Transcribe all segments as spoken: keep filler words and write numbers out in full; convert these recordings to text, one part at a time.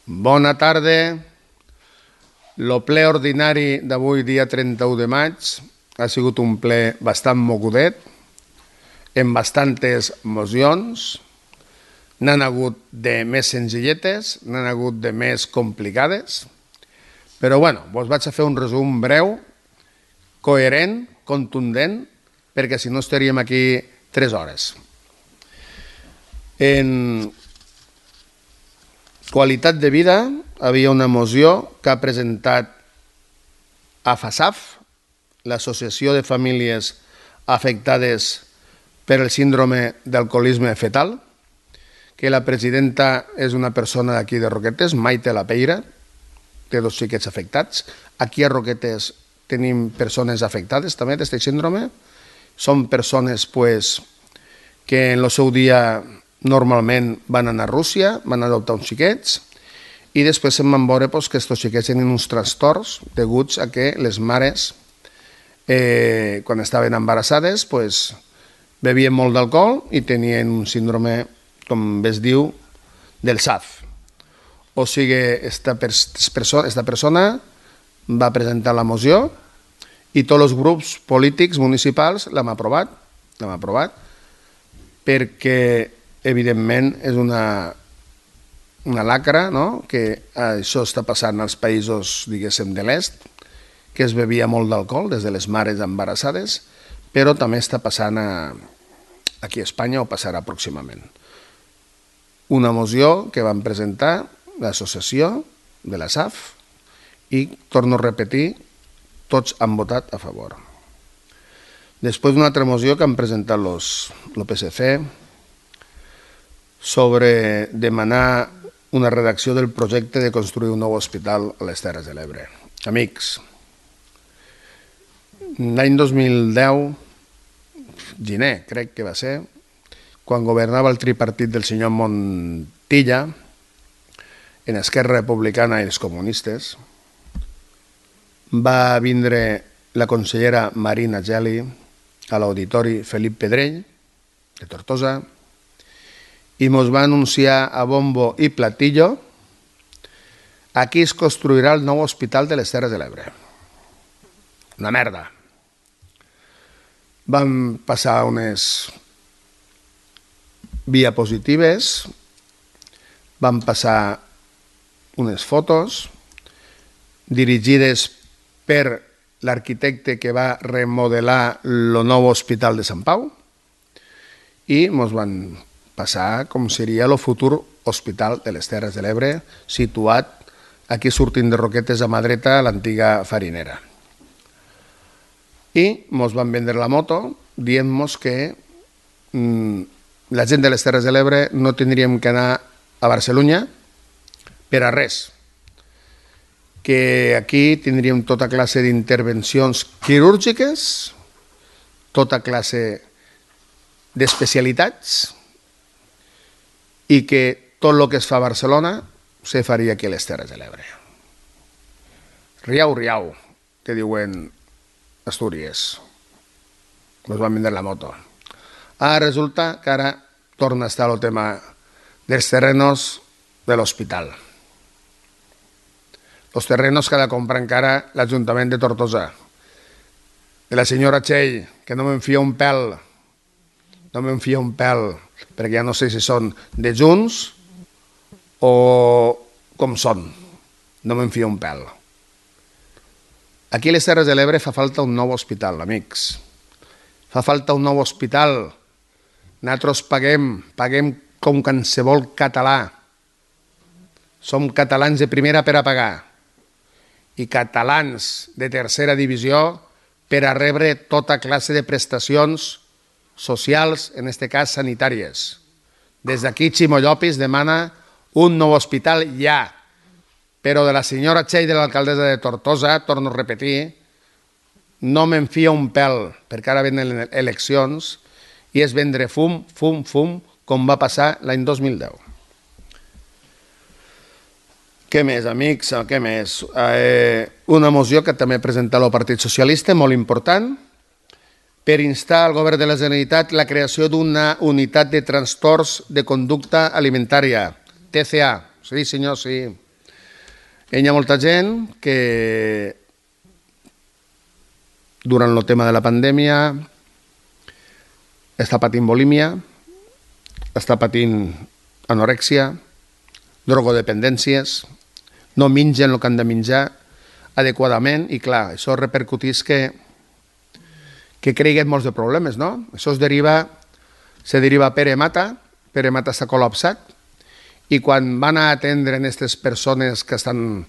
Bona tarda. El ple ordinari d'avui, dia trenta-u de maig, ha sigut un ple bastant mogudet, amb bastantes mocions. N'han hagut de més senzilletes, n'han hagut de més complicades, però bueno, vos vaig a fer un resum breu, coherent, contundent, perquè si no estaríem aquí tres hores. En qualitat de vida, havia una moció que ha presentat a FASAF, l'Associació de Famílies Afectades per el Síndrome d'Alcoholisme Fetal, que la presidenta és una persona d'aquí de Roquetes, Maite Lapeira, té dos xiquets afectats. Aquí a Roquetes tenim persones afectades també d'aquest síndrome. Són persones pues, que en el seu dia normalment van anar a Rússia, van adoptar uns xiquets, i després se'n van veure pues, que aquests xiquets tenen uns trastorns deguts a que les mares, eh, quan estaven embarassades, pues, bevien molt d'alcohol i tenien un síndrome, com es diu, del S A F. O sigui, esta, perso esta persona va presentar la moció i tots els grups polítics municipals l'hem aprovat, l'hem aprovat, perquè, evidentment, és una, una lacra, no?, que això està passant als països, diguéssim, de l'est, que es bevia molt d'alcohol des de les mares embarassades, però també està passant a, aquí a Espanya o passarà pròximament. Una moció que van presentar l'associació de la S A F i, torno a repetir, tots han votat a favor. Després d'una altra moció que han presentat el P S C sobre demanar una redacció del projecte de construir un nou hospital a les Terres de l'Ebre. Amics, l'any dos mil deu, gener crec que va ser, quan governava el tripartit del senyor Montilla, en Esquerra Republicana i els comunistes, va vindre la consellera Marina Geli a l'auditori Felip Pedrell, de Tortosa, i ens va anunciar a bombo i platillo: aquí es construirà el nou hospital de les Terres de l'Ebre. Una merda. Van passar unes diapositives, van passar unes fotos dirigides per l'arquitecte que va remodelar el nou hospital de Sant Pau i ens van passar com seria el futur hospital de les Terres de l'Ebre, situat aquí sortint de Roquetes a mà dreta a l'antiga farinera. I ens van vendre la moto dient-nos que mmm, la gent de les Terres de l'Ebre no tindríem que anar a Barcelona per a res, que aquí tindríem tota classe d'intervencions quirúrgiques, tota classe d'especialitats, i que tot el que es fa a Barcelona se faria aquí a les Terres de l'Ebre. Riau, riau, que diuen Astúries. Ens van vendre la moto. Ara resulta que ara torna a estar el tema dels terrenos de l'hospital. Els terrenos que ha de comprar encara l'Ajuntament de Tortosa. De la senyora Txell, que no m'enfia un pèl, no m'enfia un pèl, perquè ja no sé si són de Junts o com són. No m'enfia un pèl. Aquí a les Terres de l'Ebre fa falta un nou hospital, amics. Fa falta un nou hospital. Nosaltres paguem, paguem com qualsevol català. Som catalans de primera per a pagar i catalans de tercera divisió per a rebre tota classe de prestacions socials, en aquest cas sanitàries. Des d'aquí Ximo Llopis demana un nou hospital ja, però de la senyora Txell, de l'alcaldessa de Tortosa, torno a repetir, no m'enfia un pèl, perquè ara venen eleccions i és vendre fum, fum, fum, com va passar l'any dos mil deu. Què més, amics? Què més? Eh, una moció que també presenta el Partit Socialista, molt important, per instar al Govern de la Generalitat la creació d'una unitat de trastorns de conducta alimentària, T C A. Sí, senyor, sí. Hi ha molta gent que durant el tema de la pandèmia està patint bulímia, està patint anorèxia, drogodependències, no mengen el que han de menjar adequadament i, clar, això repercutís que, que creguin molts de problemes, no? Això es deriva, se deriva a Pere Mata, Pere Mata està col·lapsat i quan van a atendre aquestes persones que estan,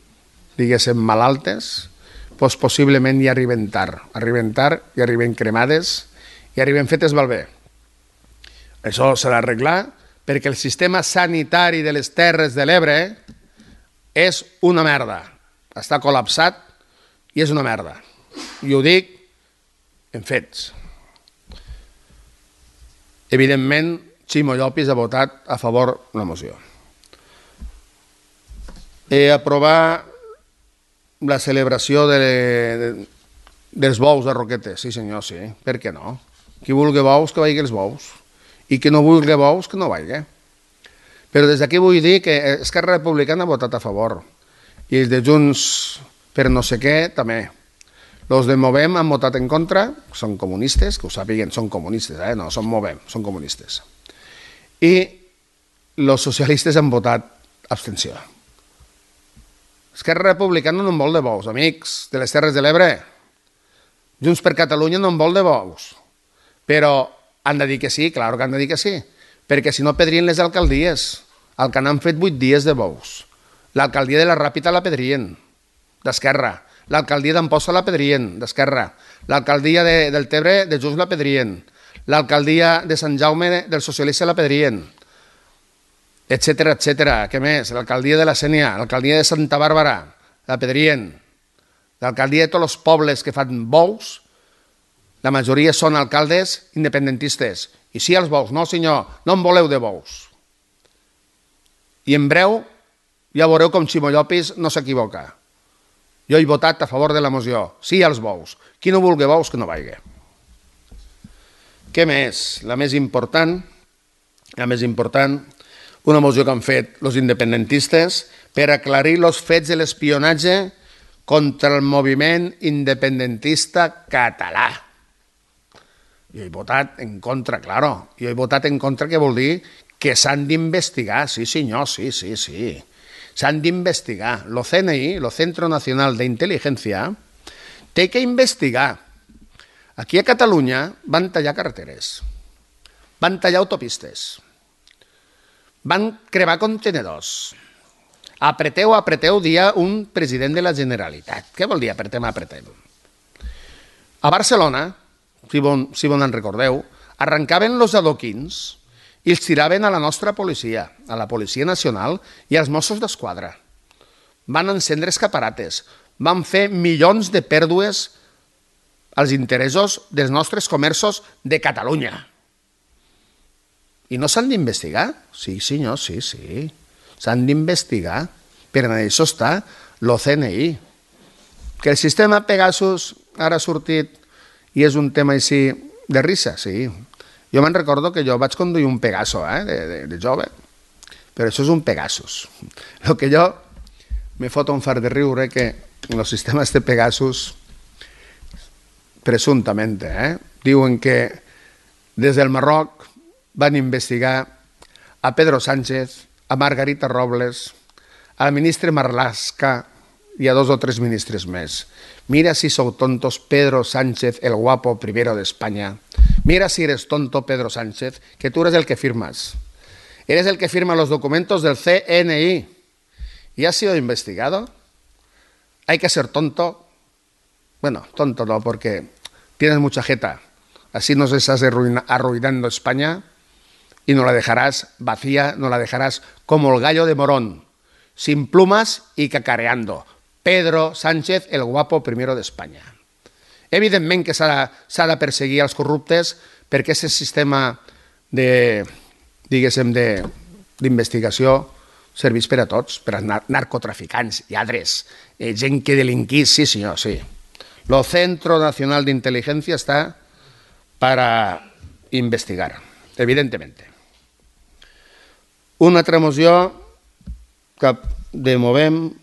diguéssim, malaltes, doncs possiblement hi arriben tard, arriben tard, hi arriben cremades, hi arriben fetes malbé. Això s'ha d'arreglar perquè el sistema sanitari de les Terres de l'Ebre és una merda. Està col·lapsat i és una merda. I ho dic en fets. Evidentment, Ximo Llopis ha votat a favor de la moció. Eh, aprovar la celebració de, de, dels bous de Roquetes. Sí senyor, sí. Per què no? Qui vulgui bous, que vagi els bous. I qui no vulgui bous, que no vagi. Però des d'aquí vull dir que Esquerra Republicana ha votat a favor. I els de Junts per no sé què, també. Els de Movem han votat en contra, són comunistes, que ho sàpiguen, són comunistes, eh? No, són Movem, són comunistes. I els socialistes han votat abstenció. Esquerra Republicana no en vol de bous, amics de les Terres de l'Ebre. Junts per Catalunya no en vol de bous. Però han de dir que sí, clar que han de dir que sí, perquè si no pedrien les alcaldies, el que n'han fet vuit dies de bous. L'alcaldia de la Ràpita la pedrien, d'Esquerra. L'alcaldia d'Amposta la pedrien, d'Esquerra. L'alcaldia de, del Tebre de Junts la pedrien. L'alcaldia de Sant Jaume dels socialistes la pedrien. Etcètera, etcètera. Què més? L'alcaldia de la Sénia, l'alcaldia de Santa Bàrbara la pedrien. L'alcaldia de tots els pobles que fan bous, la majoria són alcaldes independentistes. I sí als bous, no senyor, no en voleu de bous. I en breu ja veureu com Ximo Llopis no s'equivoca. Jo he votat a favor de la moció. Sí als bous. Qui no vulgui bous, que no vagi. Què més? La més important, la més important, una moció que han fet els independentistes per aclarir els fets de l'espionatge contra el moviment independentista català. Jo he votat en contra, claro. Jo he votat en contra, que vol dir que s'han d'investigar. Sí, senyor, sí, sí, sí. S'han d'investigar. Lo C N I, lo Centro Nacional de Inteligencia, té que investigar. Aquí a Catalunya van tallar carreteres, van tallar autopistes, van cremar contenedors. Apreteu, apreteu, dia un president de la Generalitat. Què vol dir apretem, apretem? A Barcelona, si bon, si bon en recordeu, arrencaven els adoquins i els tiraven a la nostra policia, a la Policia Nacional i als Mossos d'Esquadra. Van encendre escaparates, van fer milions de pèrdues als interessos dels nostres comerços de Catalunya. I no s'han d'investigar? Sí, senyor, sí, sí. S'han d'investigar. Per això està el C N I. Que el sistema Pegasus ara ha sortit i és un tema així de risa, sí. Jo me'n recordo que jo vaig conduir un Pegaso, eh, de, de, de jove, però això és un Pegasus. El que jo me fot un fart de riure que en els sistemes de Pegasus, presumptament, eh, diuen que des del Marroc van investigar a Pedro Sánchez, a Margarita Robles, al ministre Marlaska y a dos o tres ministres més. Mira si sou tontos, Pedro Sánchez, el guapo primero de España. Mira si eres tonto, Pedro Sánchez, que tú eres el que firmas. Eres el que firma los documentos del C N I. ¿Y has sido investigado? ¿Hay que ser tonto? Bueno, tonto no, porque tienes mucha jeta. Así nos estás arruinando España y no la dejarás vacía, no la dejarás como el gallo de Morón, sin plumas y cacareando. Pedro Sánchez, el guapo primero d'Espanya. Evidentment que s'ha de perseguir els corruptes perquè aquest sistema de, diguéssim, d'investigació serveix per a tots, per a narcotraficants, lladres, eh, gent que delinquís, sí senyor, sí. Lo Centro Nacional de Inteligencia está para investigar, evidentemente. Una altra moció que de Movem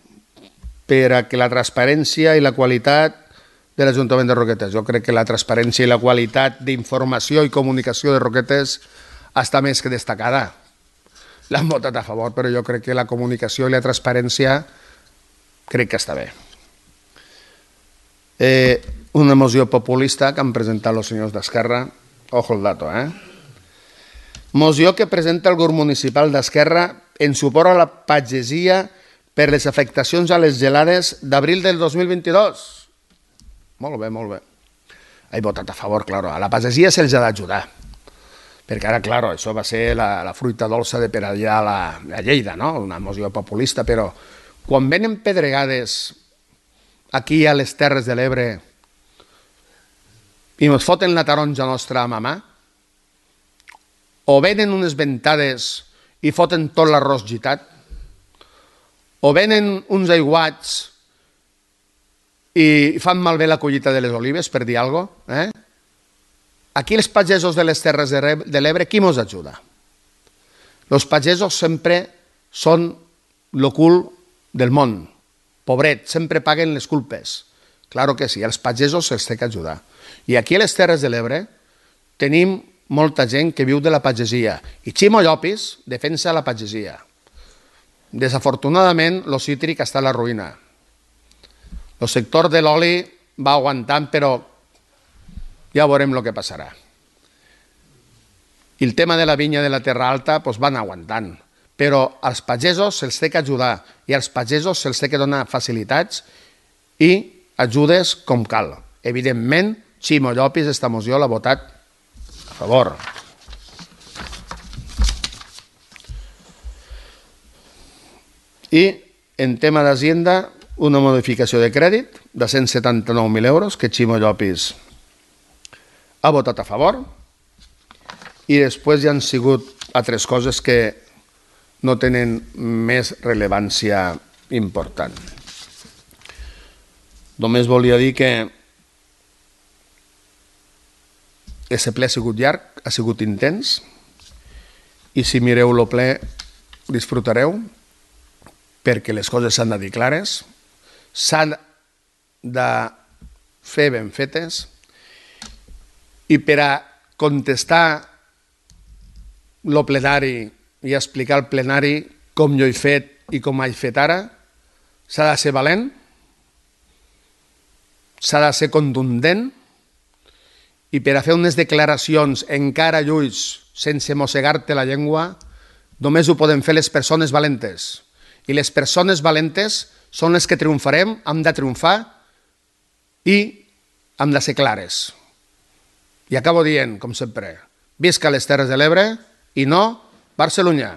per a que la transparència i la qualitat de l'Ajuntament de Roquetes. Jo crec que la transparència i la qualitat d'informació i comunicació de Roquetes està més que destacada. L'han votat a favor, però jo crec que la comunicació i la transparència crec que està bé. Eh, una moció populista que han presentat els senyors d'Esquerra. Ojo el dato, eh? Moció que presenta el grup municipal d'Esquerra en suport a la pagesia per les afectacions a les gelades d'abril del dos mil vint-i-dos. Molt bé, molt bé. He votat a favor, claro. A la pagesia se'ls ha d'ajudar. Perquè ara, claro, això va ser la, la fruita dolça de per allà a, la, a Lleida, no? Una moció populista, però quan venen pedregades aquí a les Terres de l'Ebre i ens foten la taronja nostra a mamà, o venen unes ventades i foten tot l'arròs gitat, o venen uns aiguats i fan malbé la collita de les olives, per dir alguna cosa, eh? Aquí els pagesos de les Terres de l'Ebre, qui mos ajuda? Els pagesos sempre són el cul del món. Pobret, sempre paguen les culpes. Claro que sí, els pagesos se'ls té que ajudar. I aquí a les Terres de l'Ebre tenim molta gent que viu de la pagesia. I Ximo Llopis defensa la pagesia. Desafortunadament, el cítric està a la ruïna. El sector de l'oli va aguantant, però ja veurem el que passarà. I el tema de la vinya de la Terra Alta doncs van aguantant, però als pagesos se'ls té que ajudar i als pagesos se'ls té que donar facilitats i ajudes com cal. Evidentment, Ximo Llopis, esta moció l'ha votat a favor. I en tema d'Hacienda, una modificació de crèdit de cent setanta-nou mil euros que Ximo Llopis ha votat a favor, i després hi han sigut altres coses que no tenen més rellevància important. Només volia dir que aquest ple ha sigut llarg, ha sigut intens, i si mireu el ple disfrutareu, perquè les coses s'han de dir clares, s'han de fer ben fetes, i per a contestar el plenari i explicar al plenari com jo he fet i com he fet ara, s'ha de ser valent, s'ha de ser contundent, i per a fer unes declaracions encara lluís sense mossegar-te la llengua, només ho poden fer les persones valentes. I les persones valentes són les que triomfarem, hem de triomfar i hem de ser clares. I acabo dient, com sempre, visca les Terres de l'Ebre i no Barcelunya.